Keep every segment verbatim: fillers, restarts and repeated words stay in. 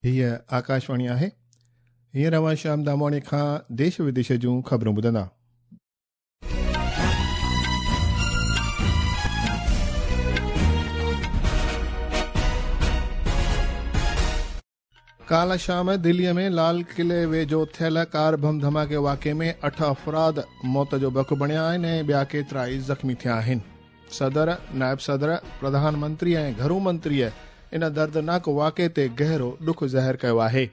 हीअ आकाशवाणी आहे। हींअर अव्हां श्याम दामवाणी खां देश विदेश जूं ख़बरूं ॿुधंदा। काल्ह शाम दिल्लीअ में लाल किले वेझो थियल कार बम धमाके वाक़े में अठ अफ़राद मौत जो बक बणिया आहिनि ऐं ॿिया केतिरा ई ज़ख़्मी थिया आहिनि। सदर, नायब सदर, प्रधानमंत्री ऐं घरू मंत्रीअ इन दर्दनाक वाक़े ते गहरो ॾुख ज़ाहिर कयो आहे।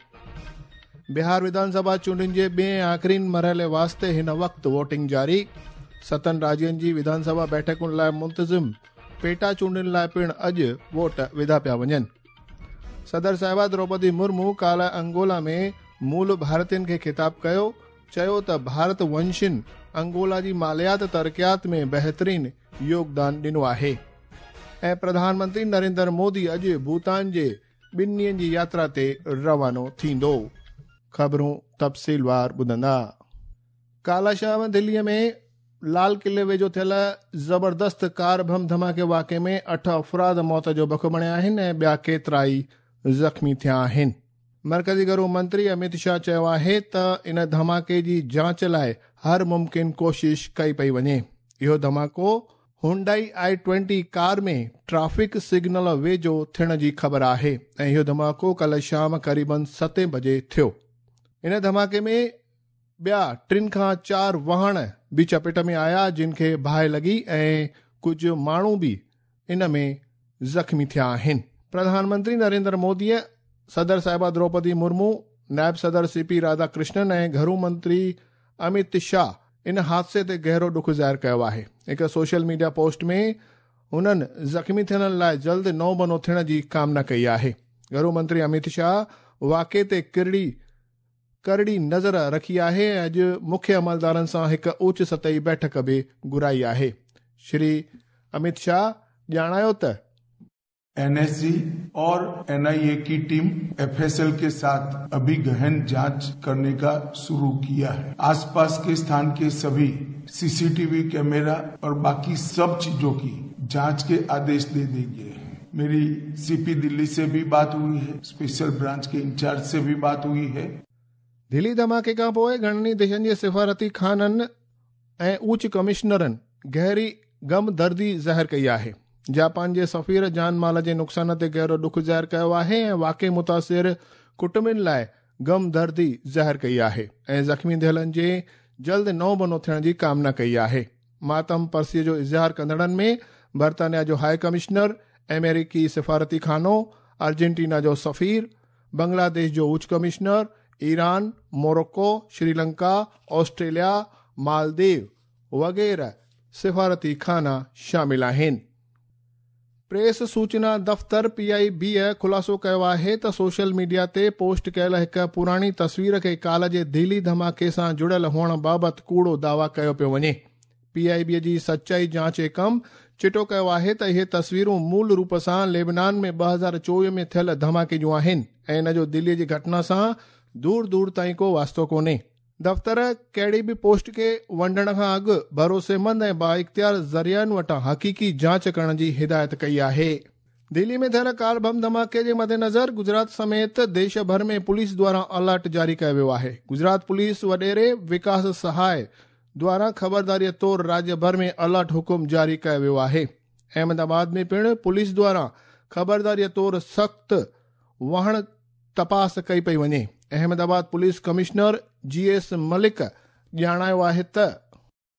बिहार विधानसभा चूंडियुनि जे ॿिए आख़िरीन मरहले वास्ते हिन वक़्तु वोटिंग जारी। सतनि राज्यनि जी विधानसभा बैठकुनि लाइ मुंतज़िम पेटा चूंडियुनि लाइ पिणु अॼु वोट विधा पिया वञनि। सदर साहिबा द्रौपदी मुर्मू काल्ह अंगोला में मूल भारतीयनि खे ख़िताब कयो, चयो त भारत वंशिन अंगोला जी मालियात तरक़ियात में बहितरीन योगदान ॾिनो आहे। ऐं प्रधानमंत्री नरेंद्र मोदी अॼु भूटान जे ॿिनि ॾींहनि जी यात्रा ते रवानो थींदो। ख़बरूं तफ़सीलवार ॿुधंदा। काल्ह शाम दिल्लीअ में लाल किले वेझो थियल ज़बरदस्त कार बम धमाके वाक़े में अठ अफ़राद मौत जो बक बणिया आहिनि ऐं ॿिया केतिरा ई ज़ख़्मी थिया आहिनि। मर्कज़ी घरू मंत्री अमित शाह चयो आहे त इन धमाके जी जांच लाइ हर मुमकिन कोशिश कई पई वञे। इहो धमाको Hyundai i twenty car में ट्रैफिक सिग्नल वेझो थियण जी ख़बर आहे ऐं इहो धमाको काल्ह शाम क़रीबन सतें बजे थियो। इन धमाके में ॿिया टिनि खां चार वाहन बि चपेट में आया जिन खे बाहि लॻी ऐं कुझु माण्हू बि इन में ज़ख़्मी थिया आहिनि। प्रधानमंत्री नरेंद्र मोदीअ, सदर साहिबा द्रौपदी मुर्मू, नायब सदर सी पी राधाकृष्णन ऐं घरू मंत्री अमित शाह इन हादसे ते गहरो ॾुख ज़ाहिर कयो आहे। हिकु सोशल मीडिया पोस्ट में हुननि ज़ख़्मी थियणनि लाइ जल्द नओं बनो थियण जी कामना कई आहे। घरू मंत्री अमित शाह वाक़े ते किरड़ी करड़ी नज़र रखी आहे ऐं अॼु मुख्य अमलदारनि सां हिकु उच सतही बैठक बि घुराई आहे। श्री अमित शाह ॼाणायो त एन एस जी और एन आई ए की टीम एफ एस एल के साथ अभी गहन जांच करने का शुरू किया है। आसपास के स्थान के सभी C C T V camera और बाकी सब चीजों की जांच के आदेश दे दिए गए हैं। मेरी सी पी दिल्ली से भी बात हुई है, स्पेशल ब्रांच के इंचार्ज से भी बात हुई है। दिल्ली धमाके खां पोइ घणनि देशनि जे सिफारती खाननि ऐं उच्च कमिश्नरनि गहरी गम दर्दी ज़ाहिर कई आहे। जापान जे सफ़ीर जान माल जे नुक़सान ते गहरो ॾुख ज़ाहिर कयो आहे ऐं वाक़ई मुतासिर कुटुंबनि लाइ गम दर्दी ज़ाहिर कई आहे ऐं ज़ख़्मी थियलनि जे जल्द नओं बनो थियण जी कामना कई आहे। मातम परसीअ जो इज़हार कंदड़नि में बर्तानिया जो हाई कमिश्नर, अमेरिकी सिफारती खानो, अर्जेंटीना जो सफ़ीर, बांग्लादेश जो उच्च commissioner, Iran, Morocco, Sri Lanka, Australia, Maldives वग़ैरह सिफारती खाना शामिल आहिनि। प्रेस सूचना दफ़्तर पी I बी ख़ुलासो कयो आहे त सोशल मीडिया ते पोस्ट कयल हिकु पुराणी तस्वीर खे काल्ह जे दिल्ली धमाके सां जुड़ियल हुअण बाबति कूड़ो दावा कयो पियो वञे। पी I बी जी सच्चाई जांच कम चिटो कयो आहे त इहे तस्वीरूं मूल रूप सां लेबनान में ॿ हज़ार चोवीह में थियल धमाके जूं आहिनि ऐं इन जो दिल्लीअ जी घटना सां दूर दूर ताईं को वास्तो कोन्हे। दफ़्तर कहिड़ी बि पोस्ट खे वंडण खां अॻु भरोसेमंद ऐं बाइख़्तियार ज़रियनि वटां हक़ीक़ी जांच करण जी हिदायत कई आहे। दिल्ली में थियल कार बम धमाके जे मद्देनज़र गुजरात समेत देश भर में पुलिस द्वारा अलर्ट जारी कयो वियो आहे। गुजरात पुलिस वॾेरे विकास सहाय द्वारा ख़बरदारीअ तौर राज्य भर में अलर्ट हुकुम जारी कयो वियो आहे। अहमदाबाद में पिणु पुलिस द्वारा ख़बरदारीअ तौर सख़्तु वाहण तपास कई पई वञे। Ahmedabad police commissioner G S Malik ॼाणायो आहे त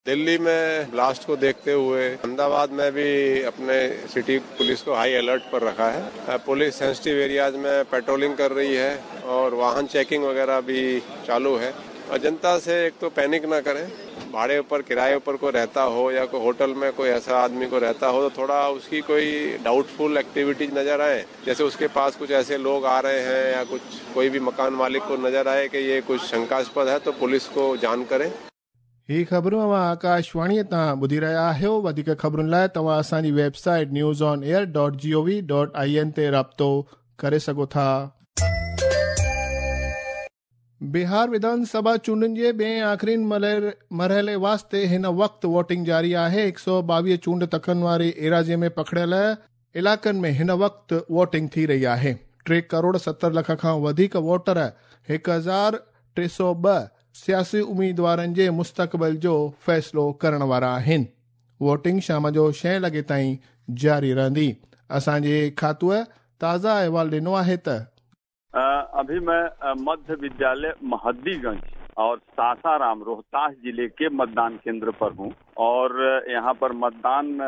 दिल्ली में ब्लास्ट को देखते हुए अहमदाबाद में भी अपने सिटी पुलिस को हाई अलर्ट पर रखा है। पुलिस सेंसिटिव एरियाज में पेट्रोलिंग कर रही है और वाहन चेकिंग वगैरह भी चालू है। और जनता से एक तो पैनिक ना करें, भाड़े ऊपर किराए ऊपर कोई रहता हो या कोई होटल में कोई ऐसा आदमी को रहता हो तो थोड़ा उसकी कोई डाउटफुल एक्टिविटीज नजर आए, जैसे उसके पास कुछ ऐसे लोग आ रहे हैं या कुछ कोई भी मकान मालिक को नजर आए कि ये कुछ शंकास्पद है तो पुलिस को जान करें। ही ख़बरूं अव्हां आकाशवाणीअ तां ॿुधी रहिया आहियो। वधीक ख़बरुनि लाइ तव्हां असांजी website news on air dot G O V dot I N ते राब्तो करे सघो था। बिहार विधानसभा चूंडुनि जे ॿिए आख़िरीन मरहले वास्ते हिन वक़्तु वोटिंग जारी आहे। हिकु सौ ॿावीह चूंड तकनि वारी एराज़ीअ में पखड़ियल इलाइक़नि में हिन वक़्तु वोटिंग थी रही आहे। टे करोड़ सत्तर लख खां वधीक वोटर हिकु हज़ार टे सौ ॿ सियासी उम्मीदवारनि जे मुस्तक़बिल जो फ़ैसिलो करण वारा आहिनि। वोटिंग शाम जो छह लॻे ताईं जारी रहंदी। असांजे खातूअ ताज़ा अहवाल ॾिनो आहे त अभी मैं मध्य विद्यालय महद्दीगंज और सासाराम रोहतास जिले के मतदान केंद्र पर हूं और यहां पर मतदान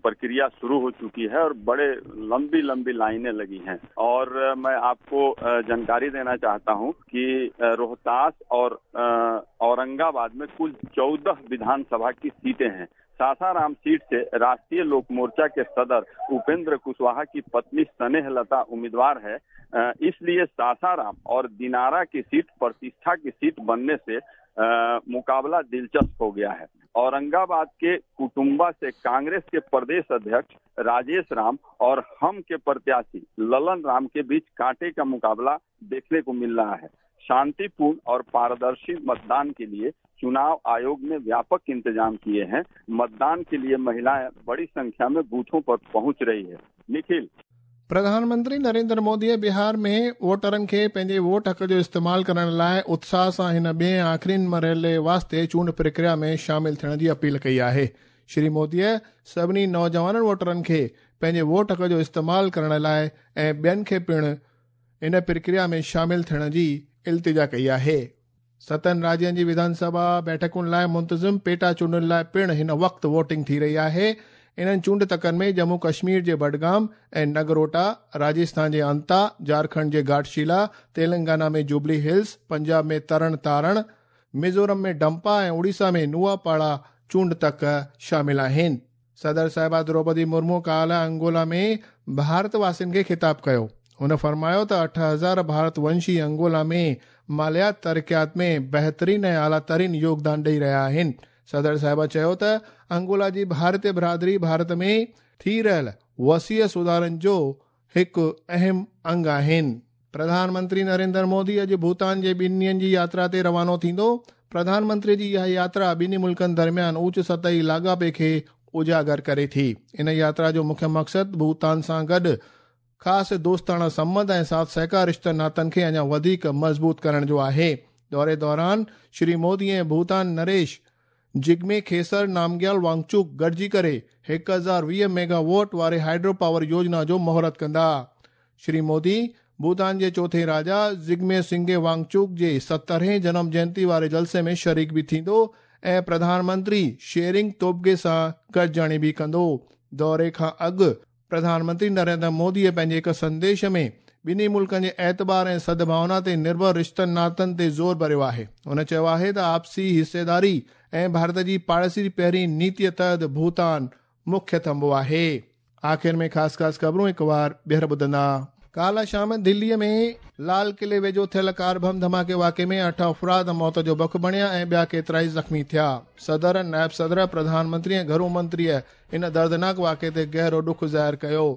प्रक्रिया शुरू हो चुकी है और बड़े लंबी लंबी लाइनें लगी हैं। और मैं आपको जानकारी देना चाहता हूं कि रोहतास और औरंगाबाद में कुल चौदह विधानसभा की सीटें हैं। सासाराम सीट से राष्ट्रीय लोक मोर्चा के सदर उपेंद्र कुशवाहा की पत्नी स्नेहलता उम्मीदवार है, इसलिए सासाराम और दिनारा की सीट प्रतिष्ठा की सीट बनने से मुकाबला दिलचस्प हो गया है। औरंगाबाद के कुटुंबा से कांग्रेस के प्रदेश अध्यक्ष राजेश राम और हम के प्रत्याशी ललन राम के बीच कांटे का मुकाबला देखने को मिल रहा है। शांतिपूर्ण और पारदर्शी मतदान के लिए चुनाव आयोग ने व्यापक इंतजाम किए हैं। मतदान के लिए महिलाएं बड़ी संख्या में बूथों पर पहुंच रही है। निखिल, प्रधानमंत्री नरेंद्र मोदीअ बिहार में वोटरनि खे पंहिंजे वोट हक़ जो इस्तेमाल करण लाइ उत्साह सां हिन ॿिए आख़िरीन मरहले वास्ते चूंड प्रक्रिया में शामिल थियण जी अपील कई आहे। श्री मोदीअ सभिनी नौजवाननि वोटरनि खे पंहिंजे वोट हक़ जो इस्तेमाल करण लाइ ऐं ॿियनि खे पिणु इन प्रक्रिया में शामिल थियण जी इल्तिजा कई आहे। सतनि राज्यनि जी विधानसभा बैठकुनि लाइ मुंतज़िम पेटा चूंडुनि लाइ पिणु हिन वक़्तु वोटिंग थी रही आहे। इन्हनि चूंड तकनि में जम्मू कश्मीर जे बडगाम ऐं नगरोटा, राजस्थान जे अंता, झारखंड जे घाटशिला, तेलंगाना में जुबली हिल्स, पंजाब में तरण तारण, मिज़ोरम में डंपा ऐं उड़ीसा में नुआपाड़ा चूंड तक शामिल आहिनि। सदर साहिबा द्रौपदी मुर्मू काल्ह अंगोला में भारत वासियुनि खे ख़िताब कयो। हुन फरमायो त अठ हज़ार भारतवंशी अंगोला में मालियात तरक़ियात में बहितरीन ऐं आला तरीन योगदान ॾेई रहिया आहिनि। सदर साहिबा चयो त अंगोला जी भारतीय बिरादरी भारत में थी रहियल वसीअ सुधारनि जो हिकु अहम अंग आहिनि। प्रधानमंत्री नरेंद्र मोदी अॼु भूटान जे ॿिनि ॾींहंनि जी यात्रा ते रवानो थींदो। प्रधानमंत्री जी इहा यात्रा ॿिन्ही मुल्कनि दरमियान ऊच सतही लाॻापे खे उजागर करे थी। इन यात्रा जो मुख्य मक़सदु भूटान सां गॾु ख़ासि दोस्ताना संबंध ऐं साथ सहकार रिश्तनि नातनि खे अञा वधीक मज़बूत करण जो आहे। दौरे दौरान श्री मोदी ऐं भूटान नरेश जिग्मे खेसर नामग्याल वांगचुक गॾिजी करे हिकु हज़ार वीह मेगावाट वारे हाइड्रो पावर योजना जो मुहूर्त कंदा। श्री मोदी भूटान जे चौथे राजा जिग्मे सिंगे वांगचुक जे सतरहें जनम जयंती वारे जलसे में शरीक बि थींदो ऐं प्रधानमंत्री शेरिंग तोबगे सां गॾिजाणी बि कंदो। दौरे खां अॻु प्रधानमंत्री नरेंद्र मोदीअ पंहिंजे हिकु संदेश में ॿिन्ही मुल्कनि जे एतबार ऐं सद्भावना ते निर्भर रिश्तनि नातनि ते ज़ोर भरियो आहे। हुन चयो आहे त आपसी हिस्सेदारी ऐं भारत जी पाड़ेसरी पहिरीं नीतीअ तहत भूटान मुख्य थंभो आहे। आख़िर में ख़ासि ख़ासि ख़बरूं हिकु वार ॿीहर ॿुधंदा। काल्ह शाम दिल्लीअ में लाल किले वेझो थियल कार बम धमाके वाक़े में अठ अफ़राद मौत जो बख बणिया ऐं ॿिया केतिरा ई ज़ख़्मी थिया। सदर, नायब सदर, प्रधानमंत्री ऐं घरू मंत्रीअ इन दर्दनाक वाक़े ते गहरो ॾुख ज़ाहिर कयो।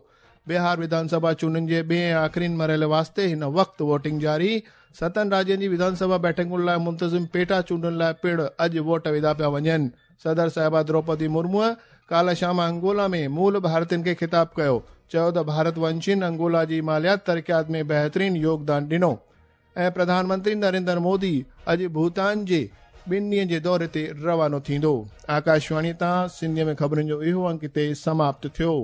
बिहार विधानसभा चूंडुनि जे ॿिए ऐं आख़िरीन मरहले वास्ते हिन वक़्तु वोटिंग जारी। सतनि राज्यनि जी विधानसभा बैठकुनि लाइ मुंतज़िम पेटा चूंडुनि लाइ पिणु अॼु वोट विधा पिया वञनि। सदर साहिबा द्रौपदी मुर्मूअ काल्ह शाम अंगोला में मूल भारतीयुनि खे ख़िताब कयो। चयो त भारतवंशियुनि अंगोला जी मालियात तरक़ियात में बहितरीन योगदान ॾिनो ऐं प्रधानमंत्री नरेंद्र मोदी अॼु भूटान जे ॿिनि ॾींहंनि जे दौरे ते रवानो थींदो। आकाशवाणी तां सिंधीअ में ख़बरुनि जो इहो अंक हिते समाप्त थियो।